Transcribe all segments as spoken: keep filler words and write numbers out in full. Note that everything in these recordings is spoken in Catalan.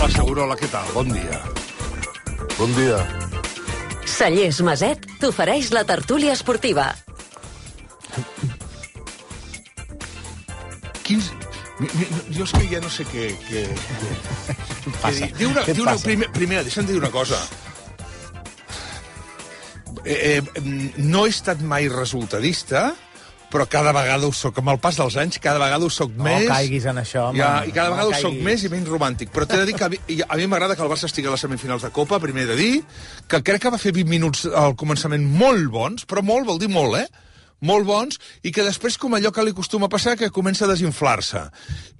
Hola, Segurola, què tal? Bon dia. Bon dia. Cellers Maset t'ofereix la tertúlia esportiva. Quins... Jo és que ja no sé què... què... Passa. Diu una, Què et diu una, passa? primer, primer, deixa'm dir una cosa. Eh, eh, no he estat mai resultadista, però cada vegada ho soc. Amb el pas dels anys, cada vegada ho soc No més. caiguis en això, home. Ja, I cada No vegada ho soc caiguis. més i menys romàntic. Però t'he de dir que a mi, a mi m'agrada que el Barça estigui a les semifinals de Copa, primer he de dir, que crec que va fer vint minuts al començament molt bons, però molt vol dir molt, eh? Molt bons, i que després, com allò que li acostuma a passar, que comença a desinflar-se.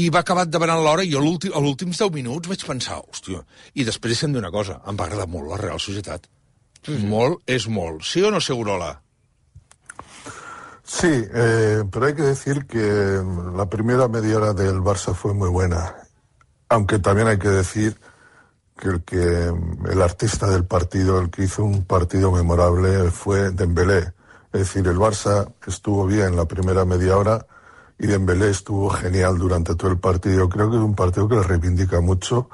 I va acabar demanant l'hora, i jo l'últim, a últims deu minuts vaig pensar, hòstia... I després deixa'm dir una cosa, em va agradar molt la Real Societat. Mm. Molt és molt. Sí o no, Segurola? Sí, eh, pero hay que decir que la primera media hora del Barça fue muy buena. Aunque también hay que decir que el, que el artista del partido, el que hizo un partido memorable, fue Dembélé. Es decir, el Barça estuvo bien la primera media hora y Dembélé estuvo genial durante todo el partido. Creo que es un partido que le reivindica mucho.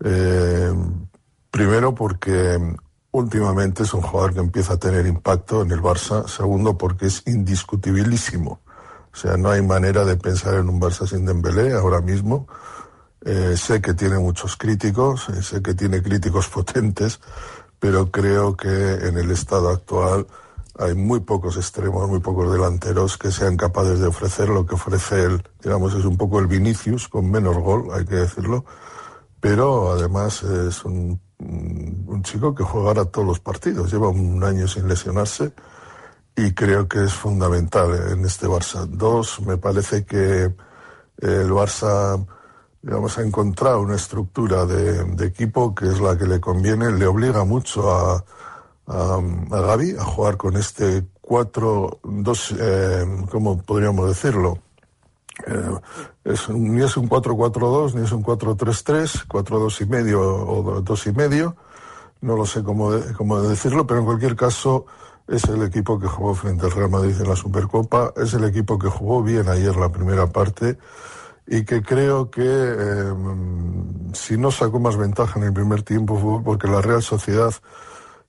Eh, primero porque últimamente es un jugador que empieza a tener impacto en el Barça. Segundo, porque es indiscutibilísimo. O sea, no hay manera de pensar en un Barça sin Dembélé ahora mismo. Eh, sé que tiene muchos críticos, eh, sé que tiene críticos potentes, pero creo que en el estado actual hay muy pocos extremos, muy pocos delanteros que sean capaces de ofrecer lo que ofrece él. Digamos, es un poco el Vinicius con menos gol, hay que decirlo, pero además es un, un chico que jugará todos los partidos. Lleva un año sin lesionarse y creo que es fundamental en este Barça. Dos, me parece que el Barça, digamos, ha encontrado una estructura de, de equipo que es la que le conviene, le obliga mucho a a, a Gavi a jugar con este cuatro dos, eh, ¿cómo podríamos decirlo? Eh, es, ni es un cuatro cuatro dos, ni es un cuatro tres tres, cuatro dos y medio o dos y medio, no lo sé cómo, de, cómo decirlo, pero en cualquier caso es el equipo que jugó frente al Real Madrid en la Supercopa, es el equipo que jugó bien ayer la primera parte y que creo que eh, si no sacó más ventaja en el primer tiempo fue porque la Real Sociedad,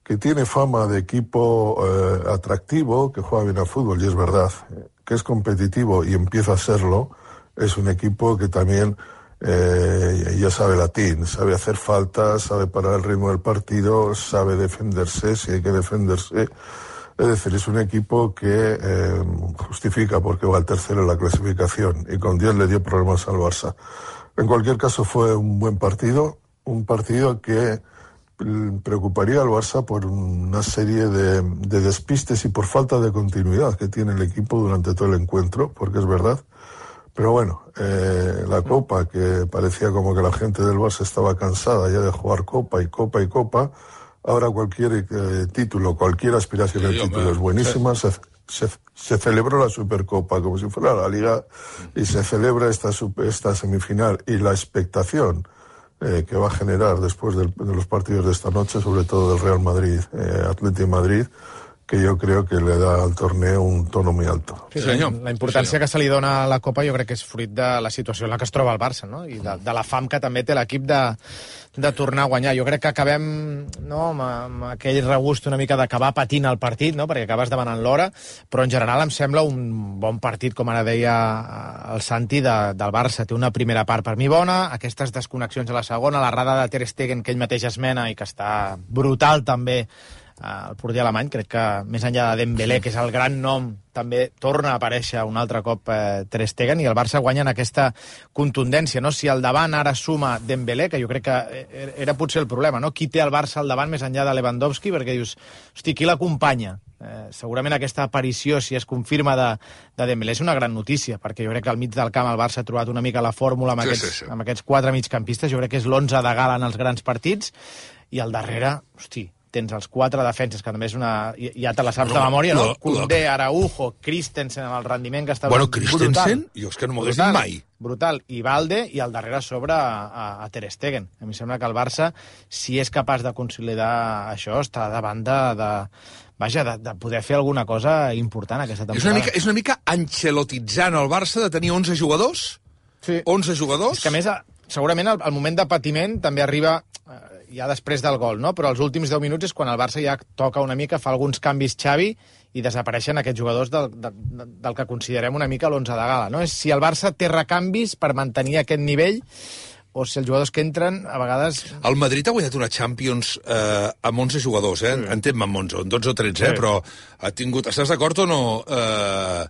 que tiene fama de equipo eh, atractivo, que juega bien al fútbol, y es verdad, que es competitivo y empieza a serlo, es un equipo que también eh, ya sabe latín, sabe hacer faltas, sabe parar el ritmo del partido, sabe defenderse si hay que defenderse. Es decir, es un equipo que eh, justifica porque va al tercero en la clasificación y con diez le dio problemas al Barça. En cualquier caso fue un buen partido, un partido que preocuparía al Barça por una serie de, de despistes y por falta de continuidad que tiene el equipo durante todo el encuentro, porque es verdad. Pero bueno, eh, la Copa, que parecía como que la gente del Barça estaba cansada ya de jugar Copa y Copa y Copa, ahora cualquier eh, título, cualquier aspiración al Sí, título hombre. es buenísima. Se, se, se celebró la Supercopa como si fuera la Liga y se celebra esta, super- esta semifinal y la expectación Eh, que va a generar después del, de los partidos de esta noche, sobre todo del Real Madrid, eh, Atlético de Madrid, que jo crec que le da al torneo un tono muy alto. Sí, senyor. La importància Sí, que se li dona a la Copa jo crec que és fruit de la situació en la que es troba el Barça, no? I de, de la fam que també té l'equip de, de tornar a guanyar. Jo crec que acabem no, amb, amb aquell regust una mica d'acabar patint el partit, no? Perquè acabes demanant l'hora, però en general em sembla un bon partit, com ara deia el Santi, de, del Barça. Té una primera part per mi bona, aquestes desconnexions a la segona, la rada de Ter Stegen que ell mateix esmena i que està brutal també, el porter alemany, crec que més enllà de Dembélé, que és el gran nom, també torna a aparèixer un altre cop eh, Ter Stegen, i el Barça guanya en aquesta contundència, no? Si al davant ara suma Dembélé, que jo crec que era potser el problema, no? Qui té el Barça al davant més enllà de Lewandowski, perquè dius, hosti, qui l'acompanya? Eh, segurament aquesta aparició, si es confirma de, de Dembélé, és una gran notícia, perquè jo crec que al mig del camp el Barça ha trobat una mica la fórmula amb, Sí, aquests, sí, sí. amb aquests quatre migcampistes, jo crec que és l'onze de gala en els grans partits, i al darrere, hosti, tens els quatre defenses, que també és una... Ja te la saps de No, memòria, no? no, Koundé, Araujo, Christensen, amb el rendiment que està... Bueno, brutal. Christensen, jo és que no m'ho hagués dit mai. Brutal. I Valde, i al darrere sobre a, a, a Ter Stegen. A mi em sembla que el Barça, si és capaç de consolidar això, està davant de... de vaja, de, de poder fer alguna cosa important aquesta És temporada. una mica, és una mica ancelotitzant el Barça de tenir onze jugadors, Sí. onze jugadors... És que a més, segurament el, el moment de patiment també arriba eh, ja després del gol, no? Però els últims deu minuts és quan el Barça ja toca una mica, fa alguns canvis Xavi i desapareixen aquests jugadors del, del, del que considerem una mica l'onze de gala, no? És si el Barça té recanvis per mantenir aquest nivell o si els jugadors que entren, a vegades... El Madrid ha guanyat una Champions eh, amb onze jugadors, eh? Sí. Entén-me amb onze, amb dotze o tretze, sí. eh? Però ha tingut... Estàs d'acord o no? Eh,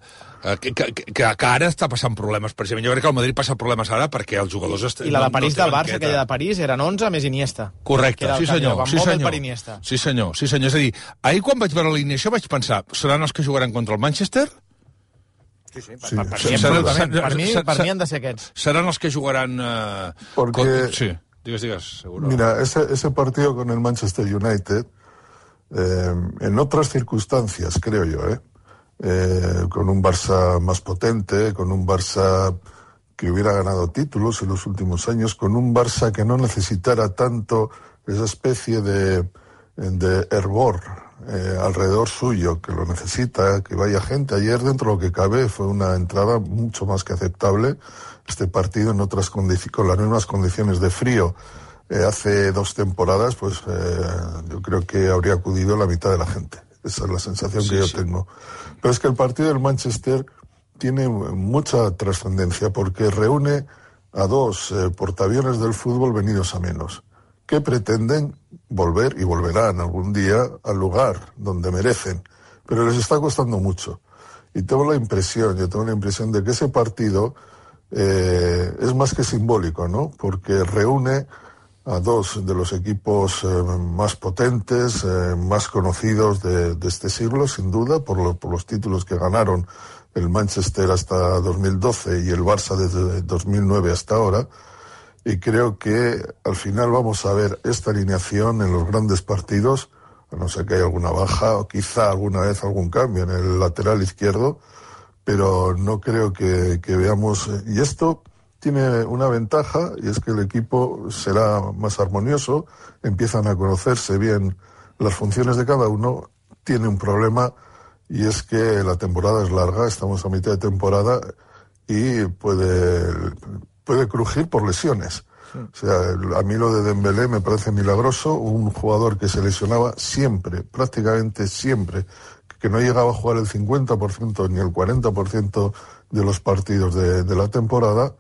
que, que, que, que ara està passant problemes, precisament. Jo crec que el Madrid passa problemes ara perquè els jugadors... Est... I la de París no, no del Barça, aquella de París, eren onze més Iniesta. Correcte, sí senyor. Sí senyor. Per Iniesta. sí senyor, sí senyor. És a dir, ahir quan vaig veure l'alineació vaig pensar, seran els que jugaran contra el Manchester? Sí, sí, per, sí, per, per, sí, mi, per, mi, per mi han de ser aquests. Seran els que jugaran... Eh, Porque, con... Sí, digues, digues, seguro. Mira, ese, ese partido con el Manchester United, eh, en otras circunstancias, creo yo, ¿eh? Eh, con un Barça más potente, con un Barça que hubiera ganado títulos en los últimos años, con un Barça que no necesitara tanto esa especie de, de hervor Eh, alrededor suyo, que lo necesita, que vaya gente. Ayer, dentro de lo que cabe, fue una entrada mucho más que aceptable. Este partido en otras condiciones, con las mismas condiciones de frío, eh, hace dos temporadas, pues eh, yo creo que habría acudido la mitad de la gente. Esa es la sensación sí, que yo sí. tengo. Pero es que el partido del Manchester tiene mucha trascendencia porque reúne a dos eh, portaaviones del fútbol venidos a menos, que pretenden volver, y volverán algún día, al lugar donde merecen. Pero les está costando mucho. Y tengo la impresión, yo tengo la impresión de que ese partido eh, es más que simbólico, ¿no? Porque reúne a dos de los equipos eh, más potentes, eh, más conocidos de, de este siglo, sin duda, por, lo, por los títulos que ganaron el Manchester hasta dos mil doce y el Barça desde dos mil nueve hasta ahora. Y creo que al final vamos a ver esta alineación en los grandes partidos, a no ser que haya alguna baja o quizá alguna vez algún cambio en el lateral izquierdo, pero no creo que, que veamos... Y esto tiene una ventaja, y es que el equipo será más armonioso, empiezan a conocerse bien las funciones de cada uno. Tiene un problema, y es que la temporada es larga, estamos a mitad de temporada, y puede... puede crujir por lesiones. Sí. O sea, a mí lo de Dembélé me parece milagroso, un jugador que se lesionaba siempre, prácticamente siempre, que no llegaba a jugar el cincuenta por ciento ni el cuarenta por ciento de los partidos de, de la temporada,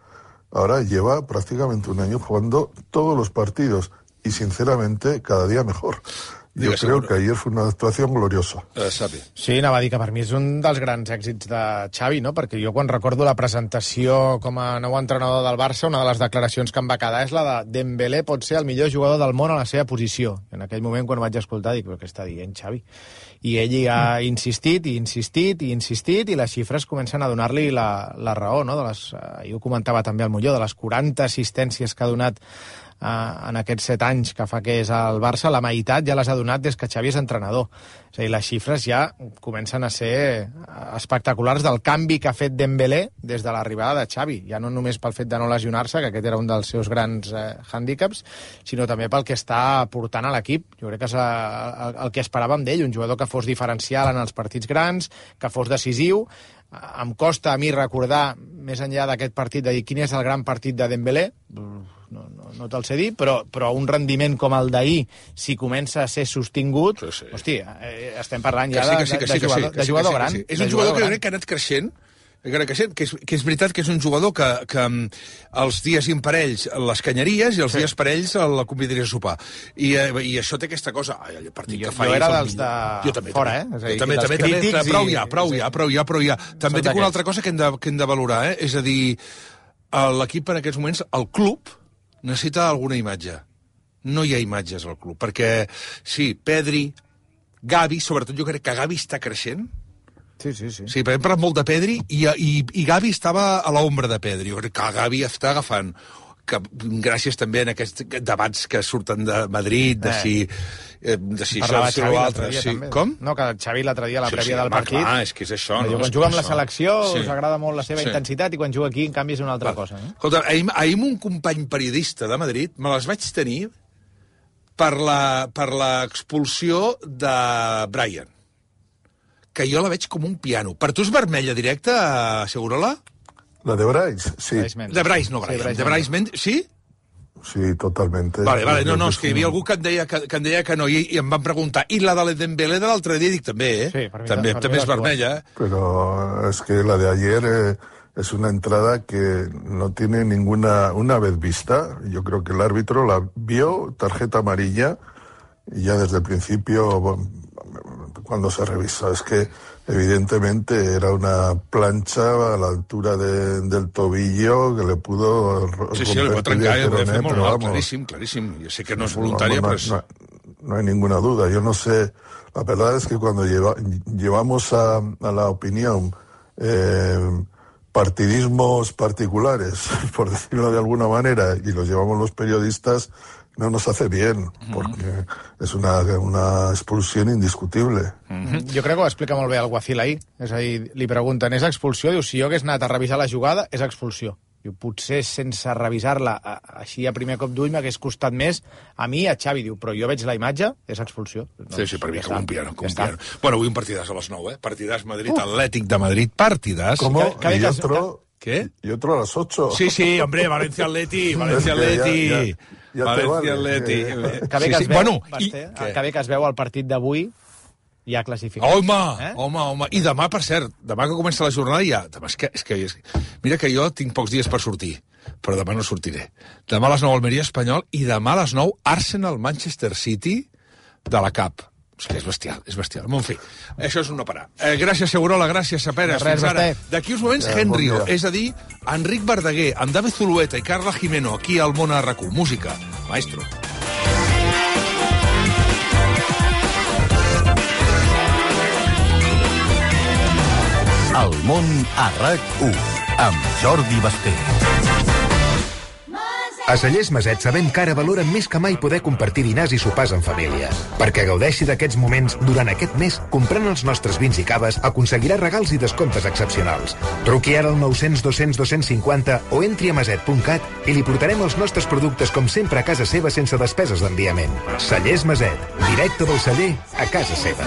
ahora lleva prácticamente un año jugando todos los partidos y sinceramente cada día mejor. Jo crec seguro. que ayer fue una actuació gloriosa. Uh, Xavi. Sí, anava a dir que per mi és un dels grans èxits de Xavi, no? Perquè jo quan recordo la presentació com a nou entrenador del Barça, una de les declaracions que em va quedar és la de Dembélé pot ser el millor jugador del món a la seva posició. En aquell moment, quan ho vaig escoltar, dic, què està dient Xavi? I ell hi ha insistit, i insistit, i insistit, i les xifres comencen a donar-li la, la raó, no? De les, eh, jo ho comentava també al Molló, de les quaranta assistències que ha donat Uh, en aquests set anys que fa que és al Barça, la meitat ja les ha donat des que Xavi és entrenador. És a dir, les xifres ja comencen a ser espectaculars del canvi que ha fet Dembélé des de l'arribada de Xavi, ja no només pel fet de no lesionar-se, que aquest era un dels seus grans eh, hàndicaps, sinó també pel que està portant a l'equip. Jo crec que és el, el que esperàvem d'ell, un jugador que fos diferencial en els partits grans, que fos decisiu. Em costa a mi recordar, més enllà d'aquest partit, de dir quin és el gran partit de Dembélé, no, no, no te'l sé dir, però, però un rendiment com el d'ahir, si comença a ser sostingut, sí, sí. Hosti, eh, estem parlant ja de, sí, de, de, de jugador, de jugador gran. És un jugador que jo crec que ha anat creixent, que és, que és veritat que és un jugador que, que els dies imparells les canyeries i els sí. dies parells la convidaries a sopar. I, i això té aquesta cosa. Ai, el partit jo, que fa jo era dels de jo també, fora, també. eh? És a dir, jo també, també, també, prou ja, prou i... ja, prou ja, prou ja, prou ja. També tinc una altra cosa que hem de, que hem de valorar, eh? És a dir, l'equip en aquests moments, el club, necessita alguna imatge. No hi ha imatges al club, perquè sí, Pedri, Gavi, sobretot jo crec que Gavi està creixent. Sí, sí, sí. Sí, perquè hem parlat molt de Pedri i, i, i Gavi estava a l'ombra de Pedri. Jo crec que Gavi està agafant, que, gràcies també a aquests debats que surten de Madrid, de si, eh, de si això o si l'altre. Sí. Com? No, que Xavi l'altre dia, a la sí, prèvia sí, del home, partit... Clar, és que és això. No? Quan juga amb la selecció sí. us agrada molt la seva sí. intensitat i quan juga aquí, en canvi, és una altra clar. cosa. Eh? Escolta, ahir, ahir un company periodista de Madrid me les vaig tenir per la, per l'expulsió de Brian, que jo la veig com un piano. Per tu és vermella directa, Segurola? La de Bryce, sí. De Bryce, no Brian. Sí, Bryce de Bryce Mendy, sí? sí, totalmente. Vale, vale, no, no, és que hi havia algú que em deia que, que, em deia que no, i, i em van preguntar, i la de Dembélé de l'altre dia, dic també, eh? Sí, per mi, també, per també mi és vermella, eh? Pero es que la de ayer eh, es una entrada que no tiene ninguna... Una vez vista, yo creo que el árbitro la vio, tarjeta amarilla, y ya desde el principio, cuando se revisa, es que evidentemente era una plancha a la altura de, del tobillo que le pudo romper. Sí, sí, le pot trencar, el eh? Puede fer peroné, molt pero mal, vamos, claríssim, claríssim. Jo sé que no és no, voluntària, no, però és... no, no hay ninguna duda. Yo no sé, la verdad es que cuando lleva, llevamos a, a la opinión eh, partidismos particulares, por decirlo de alguna manera, y los llevamos los periodistas, no nos hace bien, porque és una, una expulsió indiscutible. Mm-hmm. Jo crec que ho explica molt bé el Guacil ahir. És a dir, li pregunten, és expulsió? Diu, si jo hagués anat a revisar la jugada, és expulsió. Diu, potser sense revisar-la així a primer cop d'ull m'hagués costat més a mi, a Xavi. Diu, però jo veig la imatge, és expulsió. Doncs, sí, sí, per mi, com un piano, com ja un piano. Bueno, avui un partidàs a les nou, eh? Partidàs Madrid-Atlètic de Madrid, partidàs. ¿Cómo? que- Y que- otro, ¿Qué? y otro a las ocho. Sí, sí, hombre, Valencia-Atleti, Valencia-Atleti... Ja, ja, ja te Valencia-Atleti... vale. Que bé que Sí, es sí. veu, Bueno, i... Basté, que bé que es veu el partit d'avui ja classificat. Home, Eh? home, home. I demà, per cert, demà que comença la jornada ja... Demà és que, és que, és que... Mira que jo tinc pocs dies per sortir, però demà no sortiré. Demà a les nou Almeria Espanyol i demà a les nou Arsenal-Manchester City de la Cup. És que és bestial, és bestial. En fi, això és un no parar. Eh, gràcies, Segurola, gràcies, Saperes. De res, Fins ara. Basté. D'aquí uns moments, Ja, bon Henryo, dia. és a dir, Enric Verdaguer, amb David Zulueta i Carla Jimeno, aquí al Món a R Q. Música, maestro. El món a RAC u, amb Jordi Basté. A Cellers Maset sabem que ara valoren més que mai poder compartir dinars i sopars en família. Perquè gaudeixi d'aquests moments durant aquest mes, comprant els nostres vins i caves, aconseguirà regals i descomptes excepcionals. Truqui ara al nou cents dos cents dos cents cinquanta o entri a maset punt cat i li portarem els nostres productes com sempre a casa seva sense despeses d'enviament. Cellers Maset, directe del celler a casa seva.